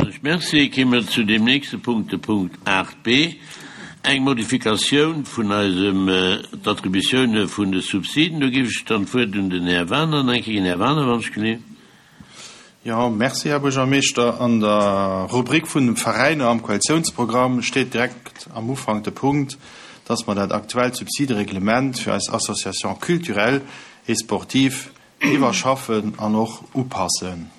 Villmools Merci. Ki mer zu deem nächste Punkt, de Punkt 8b, eng Modifikatioun vun eisem d'Attributioune vun de Subsiden. Do géif ech dann d'Wuert un den Här Wagener nach eng Kéier ginn. Här Wagener, wann ech geleeën. Jo, merci, Här Buergermeeschter. An der Rubrik vun de Veräiner am Koalitiounsprogramm steet direkt am Ufank de Punkt, dass mer dat aktuellt Subsidereglement fir eis Associations culturelles et sportives iwwerschaffen an och upassen.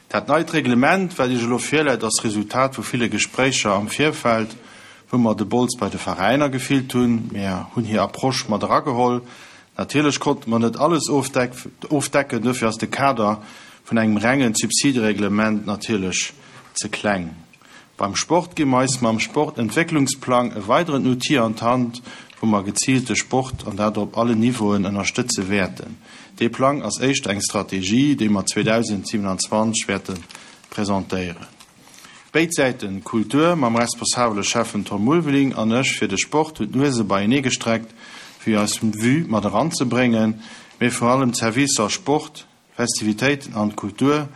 Dat neit Reglement, wat Iech elo virläit, ass d'Resultat vu ville Gespréicher am Virfeld, wou mer de Bols bei de Veräiner gefillt hunn. Mir hunn hir Approche mat erageholl. Natierlech konnte mer net alles ofdecken, dofir ass de Kader vun engem rengen Subsidereglement natierlech ze kleng. Beim Sport gi mer eis mam Sportentwécklungsplang e weideren Outil an d'Hand, wou mer geziilt de Sport, an dat op allen Niveauen, ënnerstëtze wäerten. Dee Plang ass éischter eng Strategie, déi mer 2027 wäerte presentéieren. Béid Säiten, d'Kultur mam responsabele Schäffen Tom Ulveling an ech fir de Sport, hunn d'Nuese beienee gestreckt, fir eis Vue mat eranzebréngen, mee vor allem d'Servicer Sport, Festivitéiten an d'Kultur,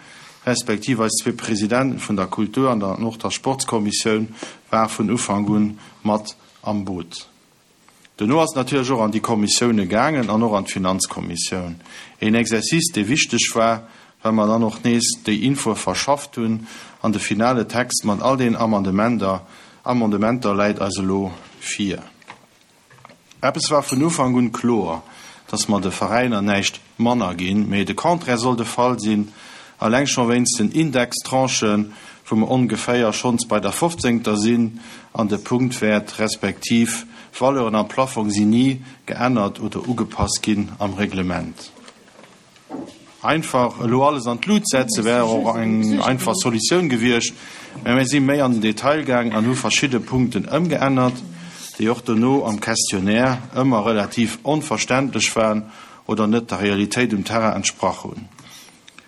respektiv eis zwee Presidenten vun der Kultur an der an och der Sportskommissioun war vun Ufank un mat am Boot. Dono ass et natierlech och an déi Kommissioune gaangen an och an d'Finanzkommissioun. Een Exercice, dee wichteg war, well mer dann och nees déi Infoe verschafft hunn an de finale Text mat all den Amendementer Amendementer läit eis elo vir. Eppes war vun Ufank un kloer, dass mer de Veräiner näischt manner ginn, mee de Contraire soll de Fall sinn, alleng scho wéinst den Indextranchen, wou mer ongeféier schonns bei der fofzéngter sinn, an de Punktwäert respektiv d'Valeuren am Plaffong sinn ni geännert oder ugepasst ginn am Reglement. Einfach elo alles an d'Lut setze wär och eng einfach Solutioun gewiescht, mä mir si méi an den Detail gaang an hu verschidde Punkten ëmgeännert, déi och dono am Questionnaire ëmmer relativ onverständlech waren oder net der Realitéit um Terrain entsprach hunn.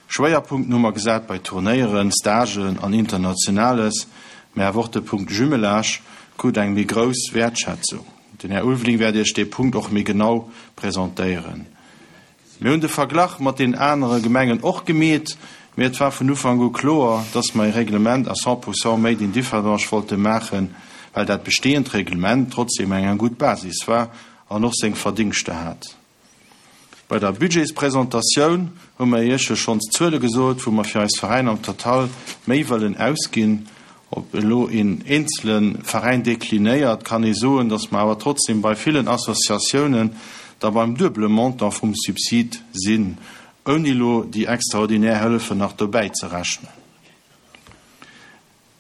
Schwéierpunkten hu mer gesat bei Turnéieren, Stagen an Internationales, mä awer och de Punkt Jumelage krut eng méi grouss Wäertschätzung. Den Här Ulveling wäert Iech dee Punkt och méi genau presentéieren. Mir hunn de Verglach mat den anere Gemengen och gemeet, mee et war vun Ufank u kloer, dass mer e Reglement à 100 pourcent made in Differdange wollte maachen, well dat bestehend Reglement trotzdem eng gutt Basis war an och seng Verdingschter hat. Bei der Budgetspresentatioun hu mer Iech jo schonns d'Zuele gesot, wou mer fir eis Veräiner am Total méi wëllen ausginn. Op elo een eenzele Veräin deklinéiert, kann ee soen, datt mer awer trotzdem bei villen Associatiounen da beim duebele Montant vum Subsid sinn, ouni elo déi extraordinär Hëllefen nach dobäi ze rechnen.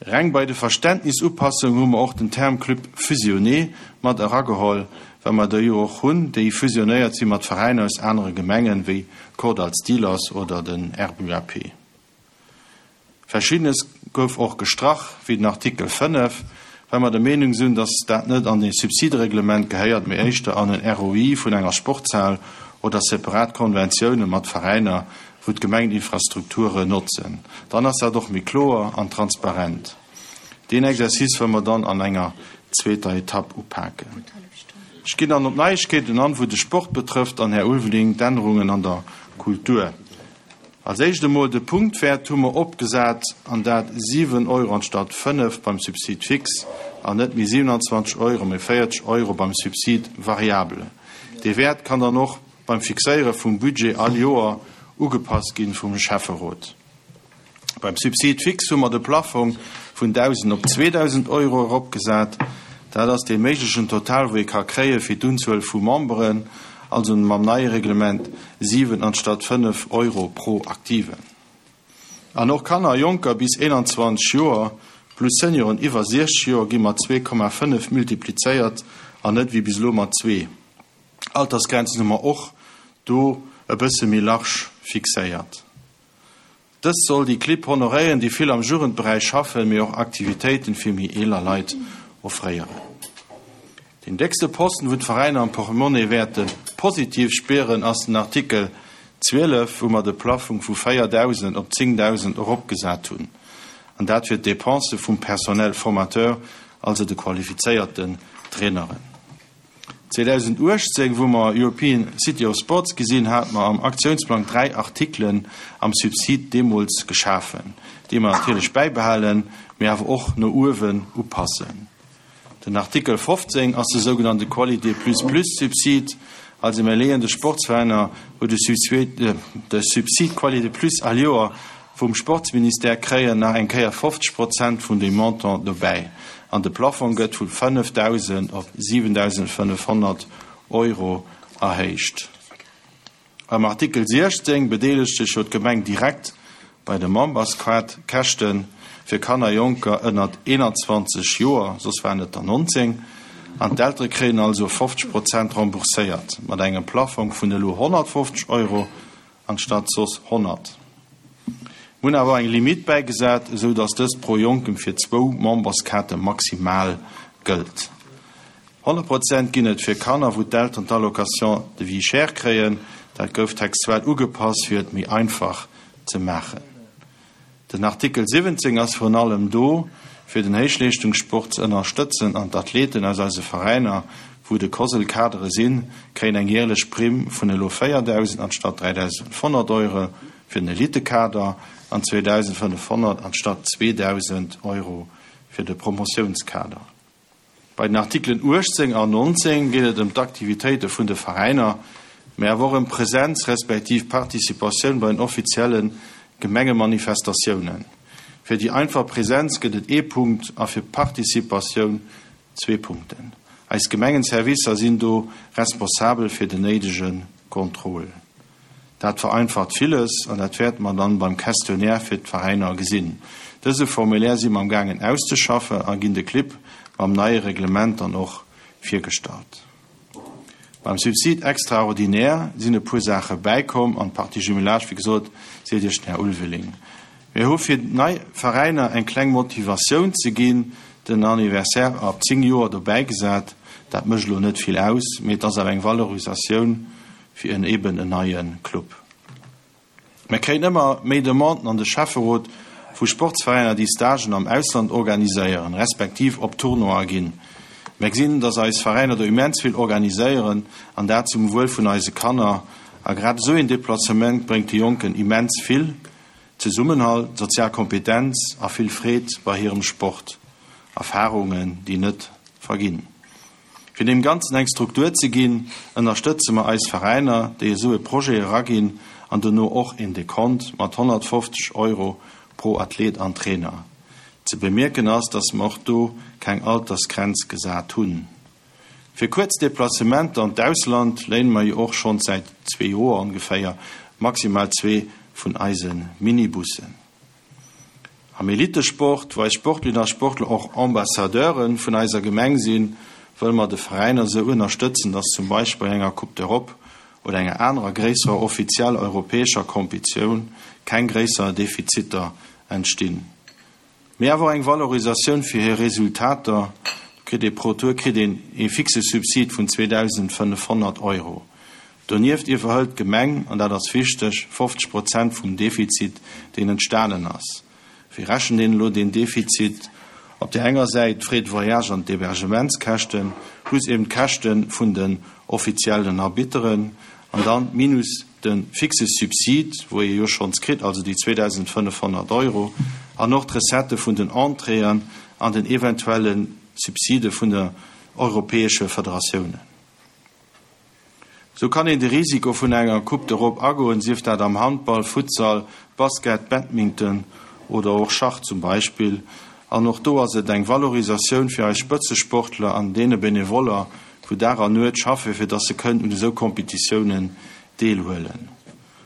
Reng bei de Verständnisupassungen hu mer och den Term Club fusionné mat erageholl, well mer der jo och hunn, déi fusionéiert si mat Veräiner aus anere Gemengen, wéi d'Kordall Steelers oder den RBUAP. Verschiddenes gouf och gestrach, wéi den Artikel 5, well mer der Meenung sinn, dass dat net an e Subsidereglement gehéiert, mee éischter an en ROI vun enger Sportshal oder separat Konventiounen mat Veräiner, wou d'Gemeng d'Infrastrukture notzen. Dann ass dat och méi kloer an transparent. Deen Exercice wëlle mer dann an enger zweeter Etapp upaken. Ech ginn dann op d'Neiegkeeten an, wou de Sport betrëfft, an, Här Ulveling, d'Ännerungen an der Kultur. Als éischt emol de Punktwäert hu mer opgesat, an dat 7 Euro anstatt 5 beim Subside fixe an net méi 27 Euro, mee 40 Euro beim Subside variable. Dee Wäert kann dann och beim Fixéiere vum Budget all Joer ugepasst ginn vum Schäfferot. Beim Subside fixe hu mer de Plaffong vun 1.000 op 2.000 Euro eropgesat. Dat ass dee méiglechen Total, wou ee ka kréie fir d'Unzuel vu Memberen, also mam neie Reglement 7 anstatt 5 Euro pro Aktiven. An och Kanner a Jonker bis 21 Joer plus Senioren iwwer 60 Joer gi mat 2,5 multiplizéiert an net wéi bis elo mat zwee. Altersgrenzen hu mer och do e bësse méi large fixéiert. Dëst soll déi Clibb honoréieren, déi vill am Jugendberäich schaffen, mee och Aktivitéiten fir méi eeler Leit offréieren. Deen déckste Posten, wou d'Veräiner am Portemonnaie wäerte positiv spieren, ass den Artikel 12, wou mer de Plaffong vu 4.000 op 10.000 eropgesat hunn, an dat fir d'Dépensë vum Personnel formateur, also de qualifizéierten Traineren. 2018, wou mer European City of Sports gi sinn, hate mer am Aktiounsplang 3 Artikelen am Subsid deemools geschafen, déi mer natierlech bäibehalen, mee awer och no uewen upassen. Den Artikel 15 ass de sougenannte Qualité plus plus Subsid. Also mir leeën de Sportsveräiner, wou de Subsid Qualité plus all Joer vum Sportsministère kréien, nach eng Kéier 50 Prozent vun deem Montant dobäi. An de Plafong gëtt vu 5.000 op 7.500 Euro erhéicht. Am Artikel 16 bedeelegt sech jo d'Gemeng direkt bei de Membersquart-Käschte fir Kanner, Jonker ënnert 21 Joer, soss waren et der 19, an d'Eltere kréien also 50 Prozent rembourséiert, mat engem Plaffong vun elo 150 Euro anstatt soss 100. Mir hunn awer och eng Limitt bäigesat, esou datt dëst pro Jonkem fir zwou Memberskaarte maximal gëllt. 100 Prozent ginn et fir Kanner, wou d'Elteren d'Allocation de vie chère kréien. Dat gouf textuell ugepasst, fir et méi einfach ze maachen. Den Artikel 17 ass virun allem do, fir den Héichleeschtungssport ze ënnerstëtzen an d'Athleten aus eise Veräiner, wou de COSL-Kadere sinn, kréien eng jäerlech Primm vun elo 4.000 anstatt 3.500 Euro fir den Elitekader an 2.500 anstatt 2.000 Euro fir de Promotiounskader. Bei den Artikelen 18 an 19 geet et ëm d'Aktivitéite vun de Veräiner, mä awer och ëm Präsenz respektiv Participatioun bei den offizielle Gemengemanifestatiounen. Fir déi einfach Präsenz gëtt et ee Punkt a fir d'Participatioun zwee Punkten. Eis Gemengenservicer sinn do responsabel fir den néidege Contrôle. Dat vereinfacht villes an dat wäerte mer dann beim Questionnaire fir d'Veräiner gesinn. Dëse Formulaire si mer am gaangen auszeschaffen a ginn de Clibb mam neie Reglement dann och virgestallt. Beim Subside extraordinaire sinn e puer Saache bäikomm an d'Partie Jumelage, wéi gesot, seet Iech den Här Ulveling. Mir hu fir nei Veräiner eng kleng Motivatioun ze ginn, den Anniversaire ab 10 Joer dobäigesat. Dat mécht elo net vill aus, mee et ass awer eng Valorisatioun fir en eben en neie Club. Mir kréien ëmmer méi Demanden an de Schäfferot vu Sportsveräiner, déi Stagen am Ausland organiséieren, respektiv op Tournoie ginn. Mir gesinn, dass eis Veräiner do immens vill organiséieren an dat zum Wuel vun eise Kanner. A grad esou een Deplacement bréngt de Jonken immens vill, Zesummenhalt, sozial Kompetenz a vill Freed bei hirem Sport. Erfarungen, déi net verginn. Fir deem Ganzen eng Struktur ze ginn, ënnerstëtze mer eis Veräiner, déi esou e Projet eraginn an dono och een Dekont mat 150 Euro pro Athlet an Trainer. Ze bemierken ass, dass mer och do keng Altersgrenz gesat hunn. Fir kuerz Deplacementer an d'Ausland léine mer jo och schonns säit zwee Joer ongeféier maximal zwee vun eise Minibussen. Am Elitesport, wou eis Sportlerinnen a Sportler och Ambassadeure vun eiser Gemeng sinn, wëlle mer de Veräiner esou ënnerstëtzen, dass zum Beispill bei enger Coupe d'Europe oder enger anerer gréisserer offizieller europäescher Kompetioun keng gréisser Defiziter entstinn. Mee awer och eng Valorisatioun fir hir Resultater. Do kritt ee pro Tour kritt een ee fixe Subsid vun 2.500 Euro. Donieft iwwerhëlt d'Gemeng, an dat ass wichteg, 50 Prozent vum Defizit, deen entstanen ass. Wéi rechent een elo deen Defizit? Op där enger Säit d'Frais de voyage an d'Hébergementskäschten, plus eben d'Käschte vun den offiziellen Arbitteren, an dann minus de fixe Subsid, wou ee jo schonns kritt, also déi 2.500 Euro, an och d'Recettë vun den Entréeën an den eventuelle Subside vun de europäesche Federatiounen. Sou kann een de Risiko vun enger Coupe d'Europe agoen, sief dat am Handball, Futsal, Basket, Badminton oder och Schach zum Beispill. An och do ass et eng Valorisatioun fir eis Spëtzesportler an deene Benevoller, wou Dag an Nuet schaffe fir dass se kënnen un esou Competitiounen deelhuelen.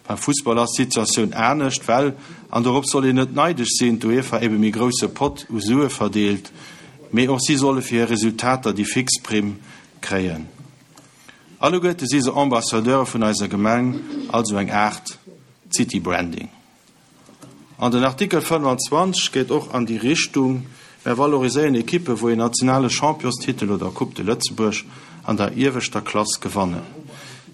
Beim Fussball ass d'Situatioun anescht, well, an dorop soll een net neidesch sinn, d'UEFA ebe méi grousse Pott u Sue verdeelt, mee och si solle fir hir Resultater déi fix Primm kréien. Alleguerte si se Ambassadeure vun eiser Gemeng, also eng Aart City Branding. An den Artikel 25 geet och an déi Richtung, Mär valoriséieren Ekippe wou een nationale Championstitel oder Coupe de Lëtzebuerg an der ieweschter Klass gewannen.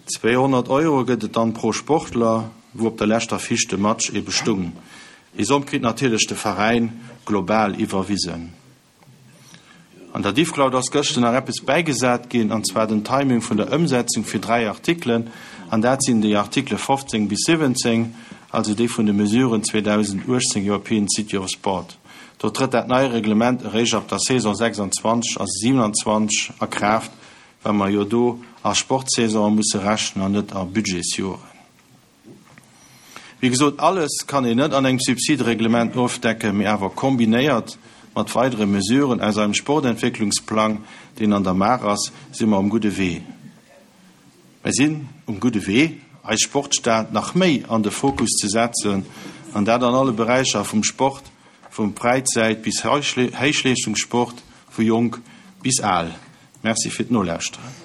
200 Euro gëtt et dann pro Sportler, wou op der leschter Fiche de Match ebe stung. Déi Somm kritt natierlech de Veräin global iwwerwisen. An der Diffcloud ass gëschter nach eppes bäigesat ginn, an zwar den Timing vun der Ëmsetzung fir 3 Artikelen, an dat sinn déi Artikele 15 bis 17, also déi vun de Mesuren 2018 European City of Sport. Do trëtt dat nei Reglement eréischt ab der Saison 26 a 27 a Kraaft, well mer jo do a Sportsaisonen musse rechnen an net a Budgetsjoren. Wéi gesot, alles kann een net an engem Subsidereglement ofdecken, mee awer kombinéiert mat weidere Mesuren aus eisem Sportentwécklungsplang, deen an der Maach ass, si mer um gudde Wee. Mer sinn um gudde Wee, eis Sportstad nach méi an de Fokus ze setzen, an dat an alle Beräicher vum Sport, vum Fräizäit bis Héichleeschtungssport, vu jonk bis al. Merci fir d'Nolauschteren.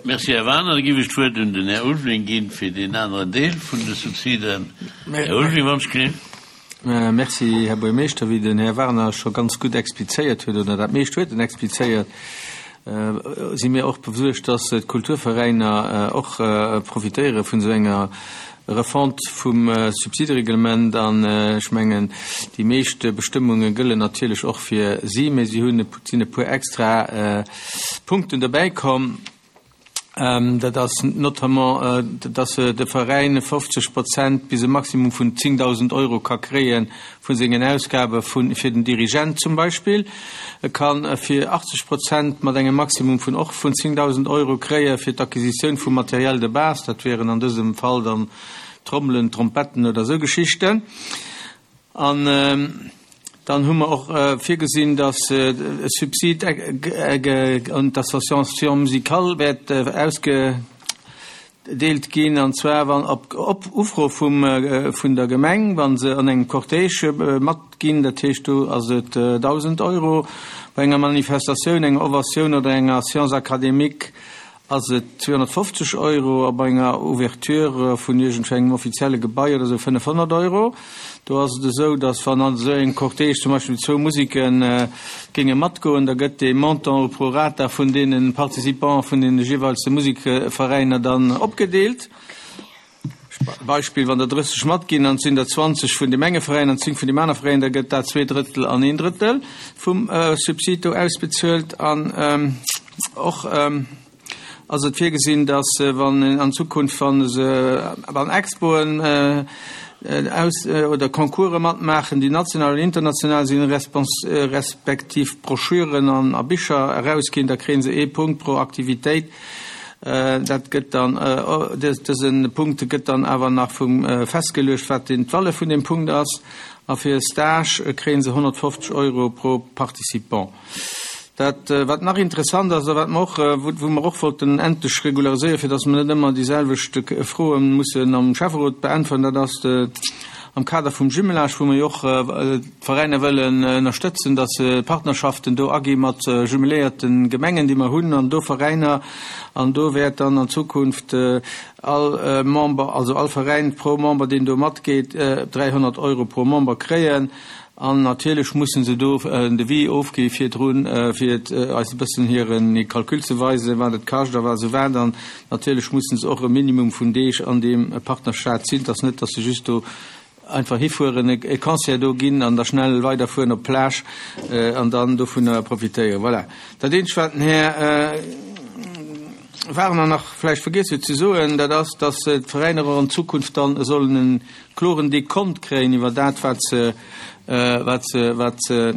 Merci, Här Wagener. Da géif ech d'Wuert un den Här Ulveling ginn fir deen aneren Deel vun de Subsiden. Här Ulveling, wann ech gelift. Merci, Här Buergermeeschter. Wéi den Här Wagener scho ganz gutt explizéiert huet, oder dat meescht huet en explizéiert, si mir och besuergt, dass d'Kulturveräiner och profitéiere vun esou enger Refonte vum Subsidereglement. An ech mengen, déi meescht Bestëmmunge gëllen natierlech och fir si, mä si hunn, et sinn e puer extra Punkten dobäi komm. Dat ass notamment, dass de Veräin 50 Prozent bis e Maximum vun 10.000 Euro ka kréie vu sengen Ausgabe fir den Dirigent zum Beispill. E ka fir 80 Prozent mat engem Maximum vun och vun 10.000 Euro kréie fir d'Acquisitioun vu Matériel de base, dat wieren an dësem Fall dann Trommelen, Trompetten oder esou Geschichten. An dann hu mer och virgesinn, dass e Subsid un d'Association musicale wäert ausgedeelt ginn, an zwar wann op Ufro vum vun der Gemeng, wa se an engem Cortège matginn, dat heescht do ass et 1.000 Euro, bei enger Manifestatioun, enger Ovatioun oder enger Séance académique ass et 250 Euro a bei enger Ouverture vun iergendengem offizielle Gebai oder esou 500 Euro. Do ass et esou, datt wann an esou engem Cortège zum Beispill zwou Museke géinge matgoen, da gëtt dee Montant au prorata vun deene Participants vun deene jeeweilste Musekveräiner dann opgedeelt. Beispill, wann der 30 matginn an et sinn der 20 vun deem enge Veräin an 10 vun deem aner Veräin, da gëtt dat zwee Drëttel an een Drëttel vum Subsid do ausbezuelt. An och ass et virgesinn, datt wann an Zukunft, wa se an Expoen aus oder Concourse matmaachen, déi national oder international sinn, respektiv Broschüren an a Bicher erausginn, da kréie se ee Punkt pro Aktivitéit. Dat gëtt dann, dëse Punkt gëtt dann awer nach vum festgeluecht, wat den d'Valeur vun deem Punkt ass. A fir e Stage kréie se 150 Euro pro Participant. Dat, wat nach interessant ass a wat mer och, wou mer och wollten endlech regulariséieren, fir datt mer net ëmmer déi selwecht Froe mussen am Schäfferot beäntweren, dat ass am Kader vum Jumelage, wou mer jo och d'Veräiner wëllen ënnerstëtzen, datt se Partnerschaften do agi mat jumeléierte Gemengen, déi mer hunn, an do Veräiner. An do wäert dann an Zukunft all Member, also all Veräin pro Member, deen do matgeet, 300 Euro pro Member kréien. An natierlech mussen se do en Devis ofgi virdrun, fir eis e bëssen hire Calcul ze weisen, wat et kascht a wat esou wat. An natierlech mussen se och e Minimum vun Deeg an deem Partnerstaat sinn. Et ass net, datt se just do Einfach hifueren, e Concert do ginn an da schnell weiderfueren op d'Plage an dann dovunner profitéieren. Voilà. Dat eenzegt, wat den Här Wagner nach vläicht vergiess huet ze soen, dat ass, dass d'Veräiner och an Zukunft dann sollen e kloren Dekont kréien iwwer dat, wat se, wat se, wat se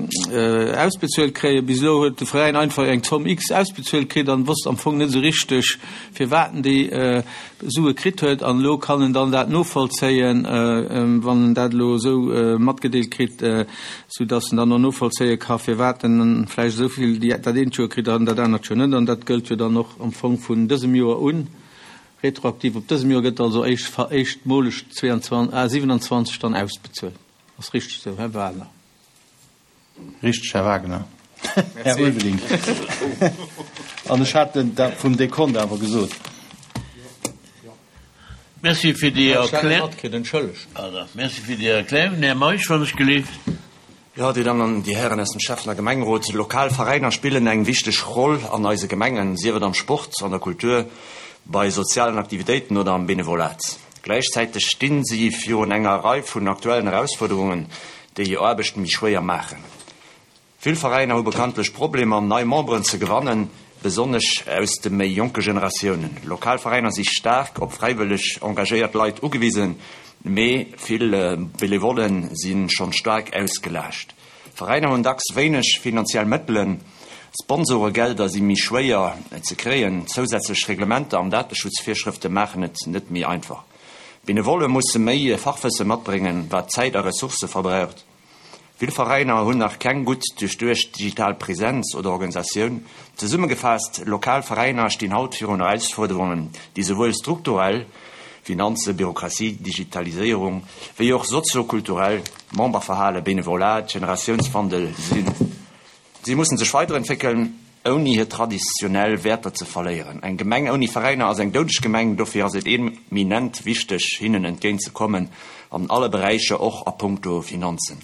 ausbezuelt kréien. Bis elo huet de Veräin einfach eng Zomm X ausbezuelt kritt an wosst am Fong net esou richteg, firwat en déi Sue kritt huet, an elo kann en dann dat novollzéien, wann en dat elo esou matgedeelt kritt, soudass en dann och novollzéie ka firwat en vläicht esou vill dat eent Joer kritt an dat anert Joer net. An dat gëllt jo dann och am Fong vun dësem Joer un, retroaktiv op dësem Joer, gëtt also éischtmoleg 27 dann ausbezuelt. Ass richteg esou, Här Wagner? Richteg, Här Wagner. Här Ulveling. An ech hat dat vum Dekont awer gesot. Merci fir déi Erklärung. Här Meisch, wann ech gelift. Jo, Dir Dammen an Dir Hären aus dem Schäffen a Gemengerot, lokal Veräiner spillen eng wichteg Roll an eise Gemengen, sief et am Sport, an der Kultur, bei sozialen Aktivitéiten oder am Benevolat. Gläichzäiteg stinn si virun enger Rei vun aktuellen Erausfuerderungen, déi hir Aarbecht méi schwéier maachen. Vill Veräiner hu bekanntlech Problemer, nei Memberen ze gewannen, besonnesch aus de méi jonke Generatiounen. Lokal Veräiner si staark op fräiwëlleg engagéiert Leit ugewisen, mee vill Benevollen si schonn staark ausgelaascht. Veräiner hunn dacks wéineg finanziell Mëttelen, Sponsoregelder si méi schwéier ze kréien, zousätzlech Reglementer an Dateschutzvirschrëfte maachen et net méi einfach. Benevolle musse méi Fachwësse matbréngen, wat Zäit a Ressourcë verbraucht. Vill Veräiner hunn nach keng gutt duerchduecht digital Presenz oder Organisatioun. Zesummegefaasst, Lokal Veräiner stinn haut virun Erausfuerderungen, déi souwuel strukturell, Finanzen, Bürokratie, Digitaliséierung, wéi och soziokulturell, Memberverhalen, Benevolat, Generatiounswandel, sinn. Si mussen sech weiderentwéckeln, ouni hir traditionell Wäerter ze verléieren. Eng Gemeng ouni Veräiner ass eng doudeg Gemeng. Dofir ass et eminent wichteg, hinnen entgéint ze kommen an alle Beräicher, och a puncto Finanzen.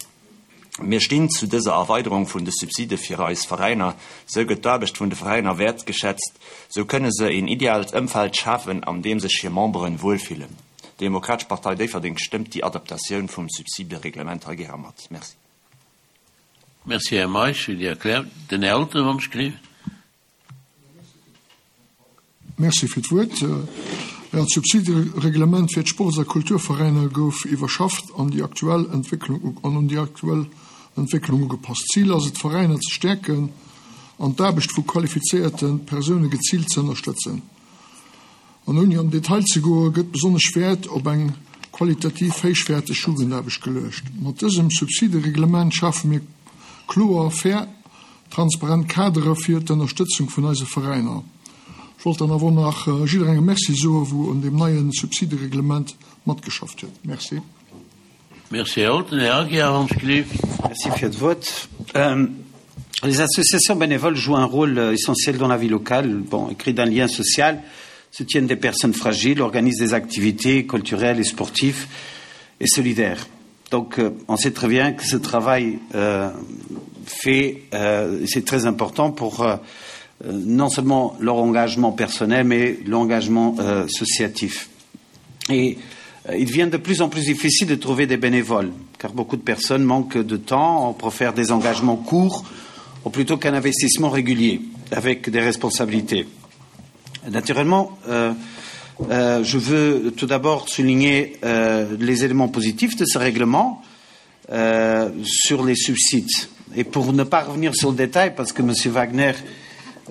Mir stinn zu dëser Erweiderung vun de Subside fir eis Veräiner. Sou gëtt d'Aarbecht vun de Veräiner wäertgeschätzt. Sou kënne se een ideaalt Ëmfeld schafen, an deem sech hir Memberen wuelfillen. D'Demokratesch Partei Déifferdeng stëmmt déi Adaptatioun vum Subsidereglement hei gäre mat. Merci. Merci, Här Meisch, fir déi Erklärung. Den Här Olten, wann ech gleef. Merci fir d'Wuert. Jo, d'Subsidereglement fir d'Sports a Kulturveräiner gouf iwwerschafft an déi aktuell Entwécklung an un déi aktuell Entwécklung ugepasst. Zil ass et, d'Veräiner ze stäerken an d'Aarbecht vu qualifizéierte Persoune geziilt ze ënnerstëtzen. An ouni an den Detail ze goen, gëtt besonnesch Wäert op eng qualitativ héichwäerteg Jugendaarbecht geluecht. Mat dësem Subsidereglement schafe mir kloer, fair, transparent Kadere fir d'Ënnerstëtzung vun eise Veräiner. Ech wollt dann awer och nach jidderengem Merci soen, wou un deem neie Subsidereglement matgeschafft huet. Merci. Merci, Här Olten. Här Aguiar, wann ech gleef. Merci fir d'Wuert. Les associations bénévoles jouent un rôle essentiel dans la vie locale, bon, créent un lien social, soutiennent des personnes fragiles, organisent des activités culturelles et sportives et solidaires. Donc euh, on sait très bien que ce travail euh, fait, euh, c'est très important pour euh, non seulement leur engagement personnel, mais l'engagement euh, associatif. Et euh, il devient de plus en plus difficile de trouver des bénévoles, car beaucoup de personnes manquent de temps, on préfère des engagements courts ou plutôt qu'un investissement régulier avec des responsabilités. Naturellement, euh, euh, je veux tout d'abord souligner euh, les éléments positifs de ce règlement euh, sur les subsides. Et pour ne pas revenir sur le détail, parce que M. Wagner,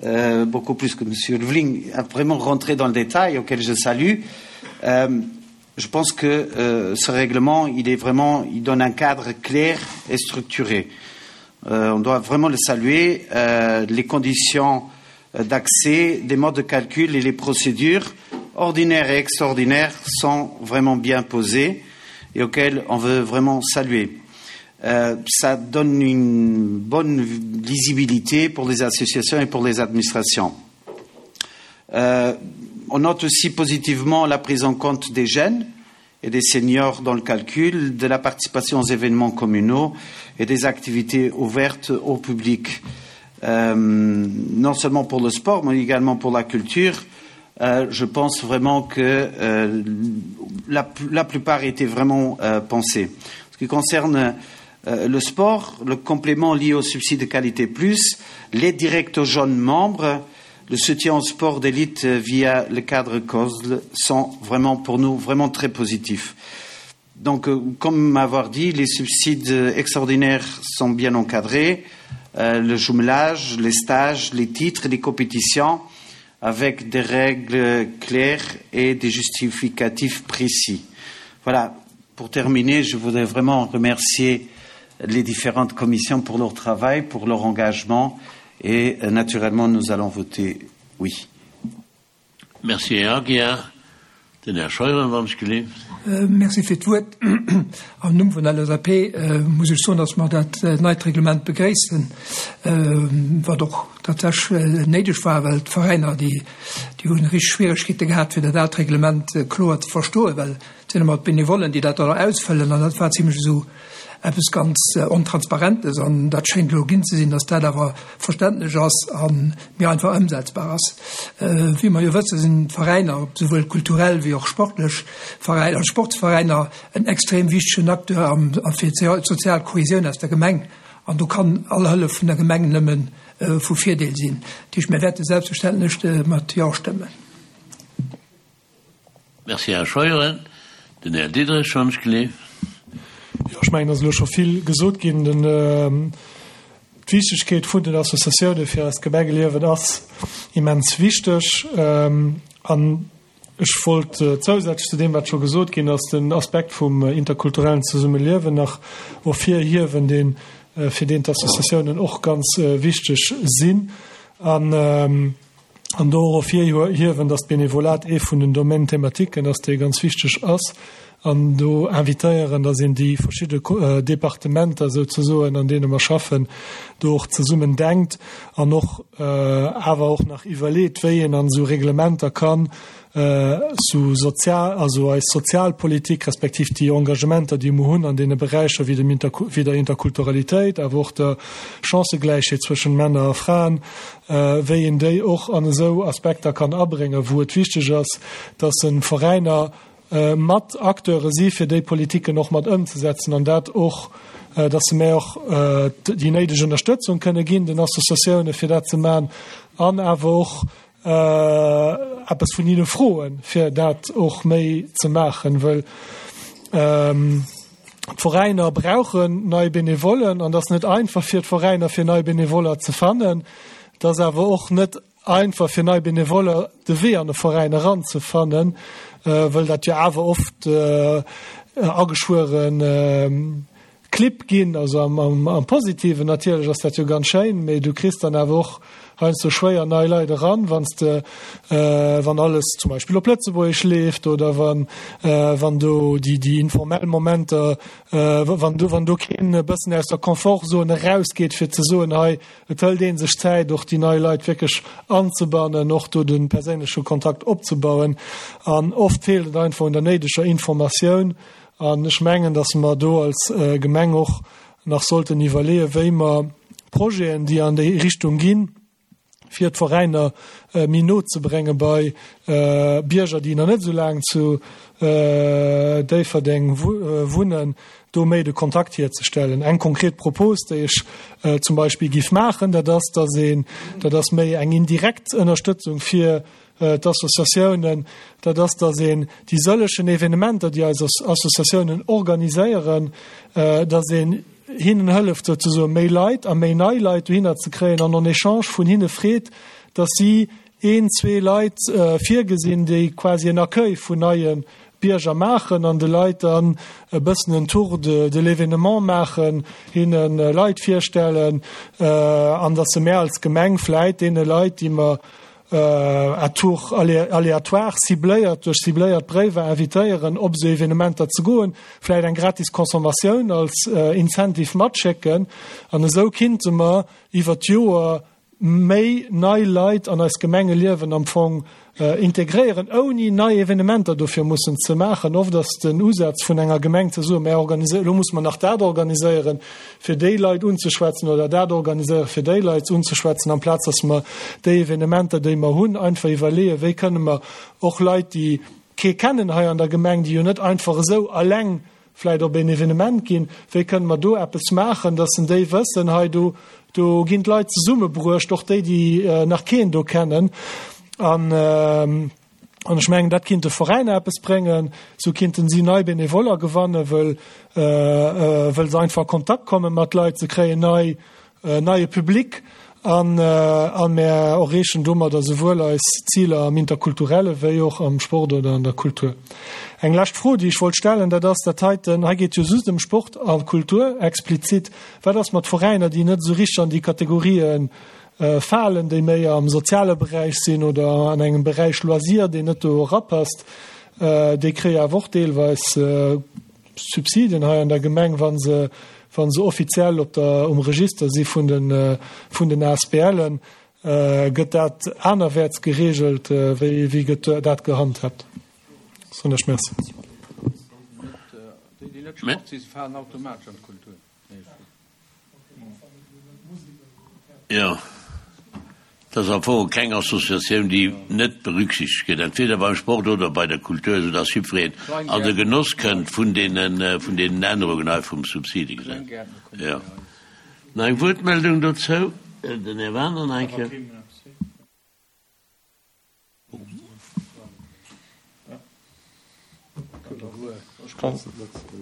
euh, beaucoup plus que M. Lvling, a vraiment rentré dans le détail, auquel je salue, euh, je pense que euh, ce règlement, il est vraiment, il donne un cadre clair et structuré. Euh, on doit vraiment le saluer. Euh, les conditions euh, d'accès, des modes de calcul et les procédures ordinaires et extraordinaires sont vraiment bien posées et auxquelles on veut vraiment saluer. Euh, ça donne une bonne lisibilité pour les associations et pour les administrations. Euh, on note aussi positivement la prise en compte des jeunes et des seniors dans le calcul, de la participation aux événements communaux et des activités ouvertes au public. Euh, non seulement pour le sport, mais également pour la culture. Euh, je pense vraiment que euh, la, la plupart étaient vraiment euh, pensés. Ce qui concerne euh, le sport, le complément lié au subside de qualité plus, les directs aux jeunes membres, le soutien au sport d'élite via le cadre COSL sont vraiment pour nous vraiment très positifs. Donc, euh, comme m'avoir dit, les subsides extraordinaires sont bien encadrés, euh, le jumelage, les stages, les titres, les compétitions, avec des règles claires et des justificatifs précis. Voilà. Pour terminer, je voudrais vraiment remercier les différentes commissions pour leur travail, pour leur engagement et euh, naturellement nous allons voter oui. Merci Här Aguiar. Den Här Scheuren, wann ech geleeft. Merci fir d'Wuert. Am Numm vun der LSAP muss ech soen, dass mer dat neit Reglement begréissen, wat och tatsächlech néideg war, well d'Veräiner, déi hu richteg Schwieregkeete gehat, fir dat aalt Reglement kloer ze verstoen, well Et sinn ëmmer d'Benevollen, déi dat dann ausfëllen, an dat war zimlech esou eppes ganz Ontransparentes. An dat schéngt elo ginn ze sinn, datt dat awer verständlech ass a méi einfach ëmsetzbar ass. Wéi mer jo wëssen, sinn d'Veräiner, souwuel kulturell wéi och sportlech Veräiner, Sportsveräiner, en extrem wichtegen Acteur am, fir d'sozial Kohesioun aus der Gemeng. An do kann all Hëllef vun der Gemeng nëmme vu Virdeel sinn. Dat heescht, mir wäerte selbstverständlech mat Jo stëmmen. Merci, Här Scheuren. Den Här Diderich, wann ech gleef. Jo, ech mengen, et ass elo scho vill gesot ginn. D'Wichtegkeet vun den Associatioune fir eist Gemengeliewen ass immens wichteg. An ech wollt zousätzlech zu deem, wat scho gesot ginn ass, den Aspekt vum interkulturellen Zesummeliewen nach ervirhiewen, deen, fir deen d'Associatiounen och ganz wichteg sinn. An An do och ervirhiewen, dass d'Benevolat ee vun den Domaines thématiquen ass, dee ganz wichteg ass, an do invitéieren, dass een déi verschidde Departementer souzesoen, an deene mer schaffen, do och zesummen denkt an och awer och nach iwwerleet, wéi een an esou Reglementer kann sou sozial, also eis Sozialpolitik respektiv déi Engagementer, déi mer hunn an deene Beräicher wéi dem Inter, wéi der Interkulturalitéit, awer och der Chancëgläichheet zwëschen Männer a Fraen, wéi een déi och an esou Aspekter kann abréngen, wou et wichteg ass, dass e Veräiner mat Acteure si fir déi Politiken och mat ëmzesetzen an dat och, dass se mär och déi néideg Ënnerstëtzung kënne ginn den Associatioune fir dat ze maachen an awer och eppes vun hinne froen, fir dat och méi ze maachen, wëll d'Veräiner brauchen nei Benevollen an et ass net einfach fir d'Veräiner fir nei Benevoller ze fannen. Et ass awer och net einfach fir nei Benevoller de Wee an e Veräin eranzefannen, wëll dat jo awer oft ageschwueren Clibb ginn, also am Positiven natierlech ass dat jo ganz schéin, mee du kriss dann awer och heiansdo schwéier nei Leit eran, wann s de, wann alles zum Beispill op Lëtzebuergesch leeft oder wann, wann do déi, déi informell Momenter, wann do, wann do keen e bëssen aus der Confortzone erausgeet fir ze soen, hei et hëlt ee sech Zäit och déi nei Leit wierklech anzebannen, och do de perséinleche Kontakt opzebauen an oft feelt et einfach un der néideger Informatioun. An ech mengen, dass mer do als Gemeng och nach sollten iwwerleeën, wéi mer Projeten, déi an déi Richtung ginn, fir d'Veräiner méi no ze brénge bei Bierger, déi nach net esou laang zu Déifferdeng wunnen, do méi de Kontakt hierzestellen. Eng konkret Propos, déi ech zum Beispill géif maachen, dat ass, dass een, dat ass méi eng indirekt Ënnerstëtzung fir d'Associatiounen, dat ass, datt een déi sëllegen Evenementer, déi eis Associatiounen organiséieren, datt een hinnen hëlleft souzesoen méi Leit a méi nei Leit dohinner ze kréien an en Echange vun hinne freet, datt si een, zwee Leit virgesinn, déi quasi en Accueil vun neie Bierger maachen an de Leit dann e bëssen en Tour de l'événement maachen, hinne Leit virstellen an datt se mär als Gemeng vläit deene Leit, déi mer à tour aléatoire, cibléiert, duerch cibléiert Bréiwer invitéieren, op esou Evenementer ze goen, vläicht eng gratis Consommatioun als Incentive matschécken. An esou kinnte mer iwwer d'Joer méi nei Leit an eist Gemengeliewen am Fong integréieren, ouni nei Evenementer dofir mussen ze maachen. Oft ass den Usaz vun enger Gemeng ze soen, Mär organiséieren, elo musse mer nach dat organiséieren, fir déi Leit unzeschwätzen oder dat organiséieren, fir déi Leit unzeschwätzen, amplaz dass mer déi Evenementer, déi mer hunn, einfach iwwerleeën, wéi kënne mer och Leit, déi kee kennen hei an der Gemeng, déi jo net einfach esou eleng vläicht op een Evenement ginn, wéi kënne mer do eppes maachen, dass en déi wëssen, hei do, do ginn d'Leit zesummebruecht, och déi, déi nach keen do kennen. An an ech mengen, dat kinnt de Veräiner eppes bréngen, esou kinnten si nei Benevoller gewannen, wëll wëll se einfach a Kontakt komme mat Leit, se kréien nei neie Public an a mär erreechen domadder souwuel eis Ziler am Interkulturelle wéi och am Sport oder an der Kultur. Eng lescht Fro, déi ech wollt stellen, dat ass dat heiten, hei geet jo just ëm Sport a Kultur explizit, wat ass mat Veräiner, déi net esou richteg an déi Kategorien falen, déi méi am soziale Beräich sinn oder an engem Beräich Loisir, deen net do erapasst, déi kréie awer och deelweis Subsiden hei an der Gemeng, wa se, wa se offiziell op der, um Register si vun den, vun den ASBLen. Gëtt dat anerwäerts geregelt? Wéi, wéi gëtt dat gehandhabt? Soen ech Merci. Déi, déi net Sport si, se falen automatesch an d'Kultur. Jo, et ass am Fong keng Associatioun, déi net berücksichtegt gëtt, entweder beim Sport oder bei der Kultur, esou dass jiddwereen an de Genoss kënnt vun deenen, vun deenen Ännerungen hei vum Subsidegesetz. Jo. Nach eng Wuertmeldung dozou? Den Här Wagener nach eng Kéier.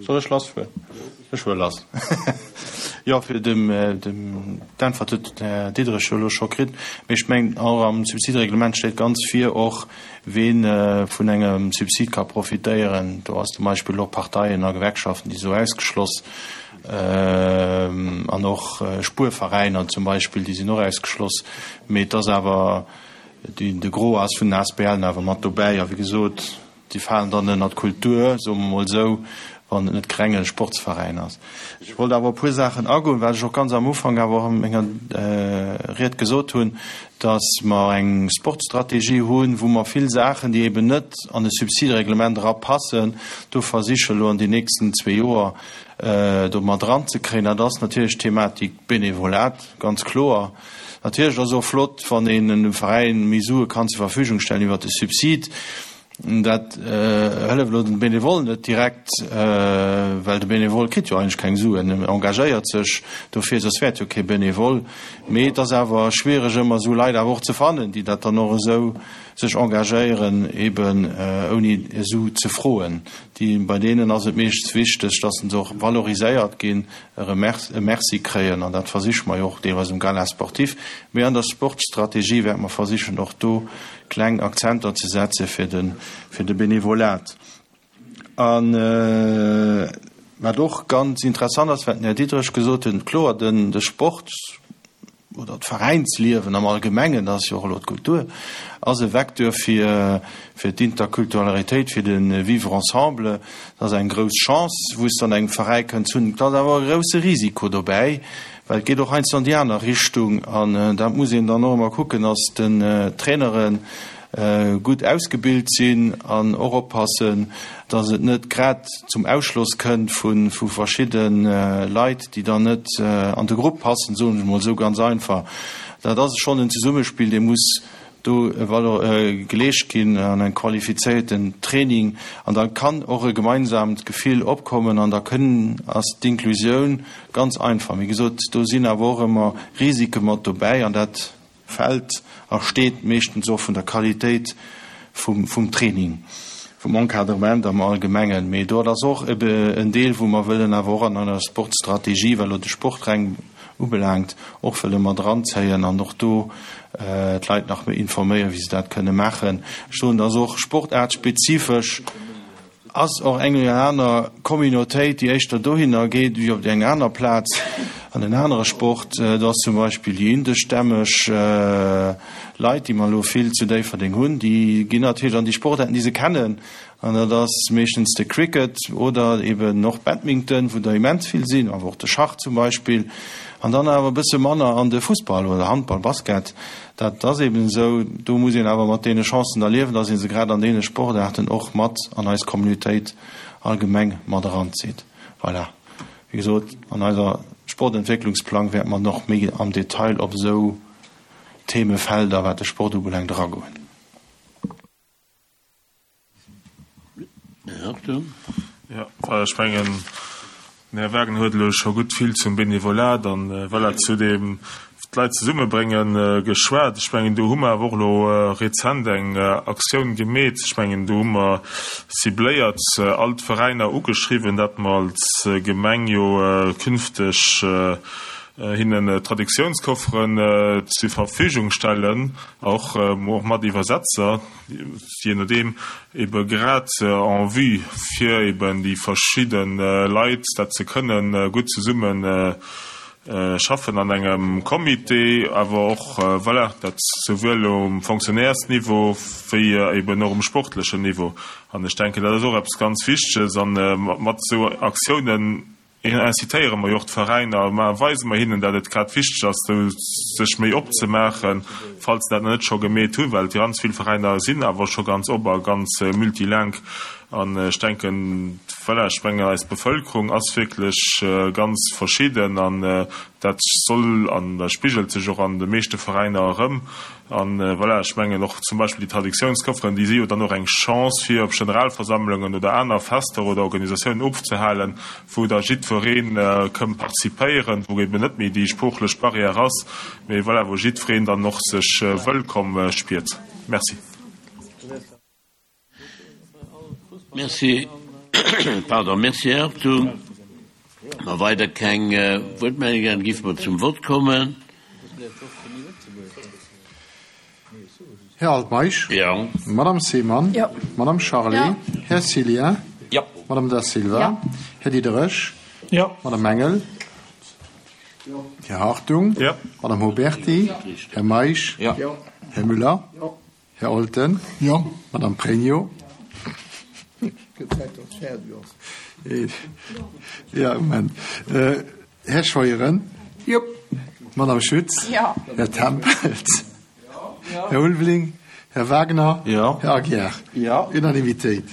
Soll ech lass fueren? Ech fuere lass. Jo, fir dem, dem, d'Äntwert huet den Här Diderich jo elo scho kritt. Mee ech mengen, och am Subsidereglement steet ganz vir och, ween vun engem Subsid ka profitéieren. Do ass zum Beispill och Parteien a Gewerkschaften, déi sou ausgeschloss. An och Spuerveräiner zum Beispill, déi sinn och ausgeschloss. Mee et ass awer, de Gros ass vun den ASBLen awer mat dobäi. A wéi gesot, déi falen dann ënner d'Kultur, soe mer emol esou, wann et net renge Sportsveräin ass. Ech wollt awer op e puer Saachen agoen, wat ech och ganz am Ufank awer och a menger Ried gesot hunn, dass mer eng Sportstrategie hunn, wou mer vill Saachen, déi eben net an e Subsidereglement erapassen, do versiche elo an den nächsten zwee Joer do mat eranzekréien. Dat ass natierlech d'Thematik Benevolat, ganz kloer. Natierlech ass och flott, wann een dem Veräin méi Sue kann zur Verfügung stellen iwwert de Subsid. Dat hëlleft elo dem Benevole net direkt, well de Benevole kritt jo eigentlech keng Suen, en engagéiert sech dofir, soss wär et jo kee Benevole. Mee et ass awer schwiereg ëmmer esou Leit awer och ze fannen, déi dat dann och esou sech engagéieren, eben ouni e Su ze froen. Déi, bei deenen ass et meeschtens wichteg, dass se och valoriséiert ginn, e Merci kréien, an dat versiche mer jo och deelweis um Gala sportif. Mee an der Sportstrategie wäerte mer versichen och do kleng Akzenter ze setze fir de, fir de Benevolat. A wat och ganz interessant ass, wat den Här Diderich gesot huet, kloer, den, de Sport oder d'Veräinsliewen am Allgemengen, dat ass jo och elo d'Kultur, ass e Vecteur fir, fir d'Interkulturalitéit, fir de Vivre ensemble. Dat ass eng grouss Chance, wou s de an engem Veräi kënns hunn. Et ass awer e grousse Risiko dobäi, well et geet och heiansdo an déi aner Richtung. An dat muss een dann och ëmmer kucken, dass den Trainere gutt ausgebilt sinn an och oppassen, dass et net grad zum Ausschloss kënnt vu verschidde Leit, déi dann net an de Grupp passen, soen ech emol esou ganz einfach. Dat ass schonn en Zesummespill, dee muss do geleescht ginn an engem qualifizéierten Training. An da kann och e gemeinsaamt Gefill opkommen an da kënn ass d'Inklusioun ganz einfach. Wéi gesot, do sinn awer och ëmmer Risike mat dobäi an dat fält a steet meeschtens och vun der Qualitéit vum Training, vum Encadrement am Allgemengen. Mee do ass och ebe en Deel, wou mer wëllen awer och an einer Sportstrategie, wat elo de Sport reng ubelaangt, och wëlle mat eranzéien an och do d'Leit nach méi informéieren, wéi se dat kënne maachen. Ech soen, dass och sportaartspezifesch Ass och eng oder aner Communautéit, déi éischter dohinner geet wéi op déi eng aner Plaz an en anere Sport. Do ass zum Beispill déi indeschstämmeg Leit, déi mer elo vill zu Déifferdeng hunn, déi ginn natierlech an déi Sportaarten, déi se kennen. An dat ass meeschtens de Cricket oder eben och Badminton, wou der immens vill sinn, awer och de Schach zum Beispill. An dann awer e bësse manner an de Fussball oder Handball, Basket. Dat ass eben esou. Do muss een awer mat deene Chancen da liewen, dass ee se grad an deene Sportaarten och mat an eis Communautéit allgemeng mat eranzitt. Voilà. Wéi gesot, an eiser Sportentwécklungsplang wäerte mer nach méi am Detail op esou Themefelder, wat de Sport ubelaangt, eragoen. Jo, ech mengen, den Här Wagener huet elo scho gutt vill zum Benevolat an, voilà, zu deem d'Leit zesummebréngen geschwat. Ech mengen, do hu mer awer och elo rezent eng Aktioun gemeet. Ech mengen, do hu mer cibléiert all d'Veräiner ugeschriwwen, dat mer als Gemeng jo künfteg hinnen Traduktiounskofferen zur Verfügung stellen, och mat Iwwersetzer. je nodeem, ebe grad en vue fir eben déi verschidde Leit dat ze kënnen gutt zesumme schaffen an engem Comité, awer och, voilà, dat souwuel um Fonctionnairesniveau wéi eben och um sportlechen Niveau. An ech denken, dat ass och eppes ganz Wichteges. A mat esou Aktiounen incitéiere mer jo och d'Veräiner, ma weise mer hinnen, dat et grad wichteg ass, do sech méi opzemaachen, falls se dat nach net scho gemeet hunn, well ganz vill Veräiner sinn awer scho ganz op a ganz multilingue. An ech denken, voilà, ech mengen, eis Bevëlkerung ass wierklech ganz verschidden an dat soll an dat spigelt sech och an de meeschte Veräiner erëm. An voilà, ech mengen och zum Beispill déi Traditiounskofferen, déi si jo dann och eng Chance fir op Generalversammlungen oder aner Fester oder Organisatiounen ofzehalen, wou da jiddweree kënn participéieren, wou eben net méi déi sproochlech Barrière ass, mee voilà, wou jiddwereen dann och sech wëllkomm spiert. Merci. Merci. Pardon, merci, Här Hartung. Wa weider keng Wuertmeldungen ginn, géife mer zum Vott kommen. Här Altmeisch. Jo. Madame Seemann. Jo. Madame Charlé. Jo. Här Cillien. Jo. Madame Da Silva. Jo. Här Diderich. Jo. Madame Engel. Jo. Här Hartung. Jo. Madame Huberty. Här Meisch. Jo. Här Müller. Jo. Här Olten. Jo. Madame Pregno. Gëtt Zäit, datt et fäerdeg ass. Ja, Moment. Här Scheuren. Jo. Madame Schütz. Jo. Här Tempels. Här Ulveling. Här Wagner. Jo. Här Aguiar. Jo. Unanimitéit.